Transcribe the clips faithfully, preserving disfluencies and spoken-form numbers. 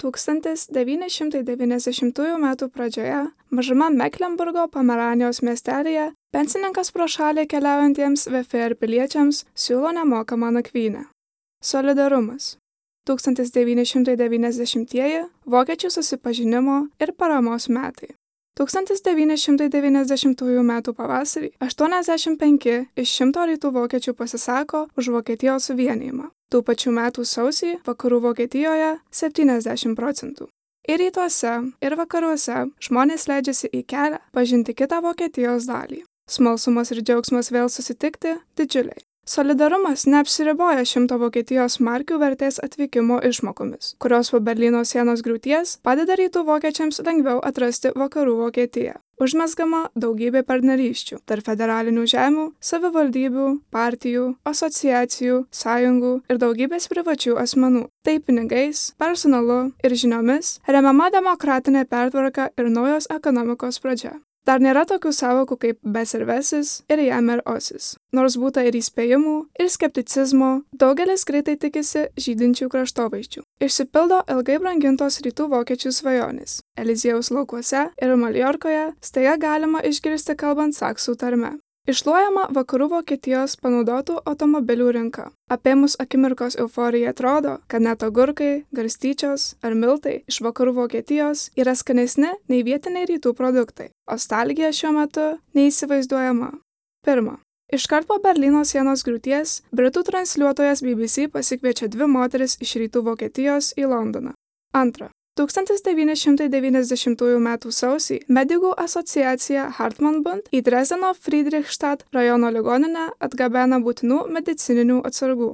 tūkstantis devyni šimtai devyniasdešimtųjų metų pradžioje mažame Meklenburgo Pomeranijos miestelyje pensininkas pro šalį keliaujantiems V F R piliečiams siūlo nemokamą nakvynę. Solidarumas. tūkstantis devyni šimtai devyniasdešimtieji vokiečių susipažinimo ir paramos metai. tūkstantis devyni šimtai devyniasdešimtųjų metų pavasarį aštuoniasdešimt penki iš šimto rytų vokiečių pasisako už Vokietijos suvienijimą. Tų pačių metų sausį vakarų Vokietijoje septyniasdešimt procentų. Ir rytuose, ir vakaruose žmonės leidžiasi į kelią pažinti kitą Vokietijos dalį. Smalsumas ir džiaugsmas vėl susitikti didžiuliai. Solidarumas neapsiriboja šimto Vokietijos markių vertės atvykimo išmokomis, kurios po Berlyno sienos griūties padeda rytų vokiečiams lengviau atrasti vakarų Vokietiją. Užmezgama daugybė partnerysčių tarp federalinių žemių, savivaldybių, partijų, asociacijų, sąjungų ir daugybės privačių asmenų. Tai pinigais, personalu ir žiniomis remiama demokratinė pertvarka ir naujos ekonomikos pradžia. Dar nėra tokių sąvokų kaip besirvesis ir jamer osis. Nors būta ir įspėjimų, ir skepticizmo, daugelis greitai tikisi žydinčių kraštovaizdžių. Išsipildo ilgai brangintos rytų vokiečių svajonės. Eliziejaus laukuose ir Maljorkoje staiga galima išgirsti kalbant saksų tarme. Iššluojama vakarų Vokietijos panaudotų automobilių rinka. Apėmus akimirkos euforija atrodo, kad net agurkai, garstyčios ar miltai iš vakarų Vokietijos yra skanesni nei vietiniai rytų produktai. Nostalgija šiuo metu neįsivaizduojama. Pirma. Iškart po Berlyno sienos griūties, britų transliuotojas B B C pasikviečia dvi moteris iš rytų Vokietijos į Londoną. Antra. tūkstantis devyni šimtai devyniasdešimtųjų metų sausį medikų asociacija Hartmann-Bund į Dresdeno Friedrichstadt rajono ligoninę atgabena būtinų medicininių atsargų.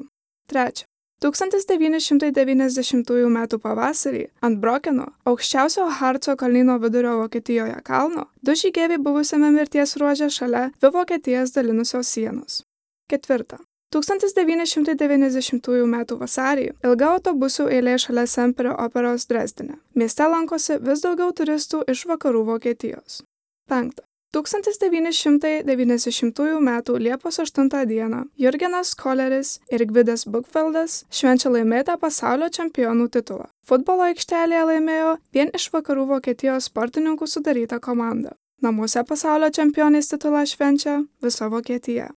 Trečia. tūkstantis devyni šimtai devyniasdešimtųjų metų pavasarį ant Brokeno, aukščiausio Harco kalnyno vidurio Vokietijoje kalno, du žygeiviai buvusiame mirties ruože šalia dvi Vokietijas dalinusios sienos. Ketvirta. tūkstantis devyni šimtai devyniasdešimtųjų metų vasarį ilga autobusų eilė šalia Semperio operos Dresdene. Mieste lankosi vis daugiau turistų iš vakarų Vokietijos. Penkta. tūkstantis devyni šimtai devyniasdešimtųjų metų Liepos aštuntą dieną Jurgenas Koleris ir Gvidas Bukfeldas švenčia laimėtą pasaulio čempionų titulą. Futbolo aikštelėje laimėjo vien iš vakarų Vokietijos sportininkų sudaryta komanda. Namuose pasaulio čempionės titulą švenčia visa Vokietija.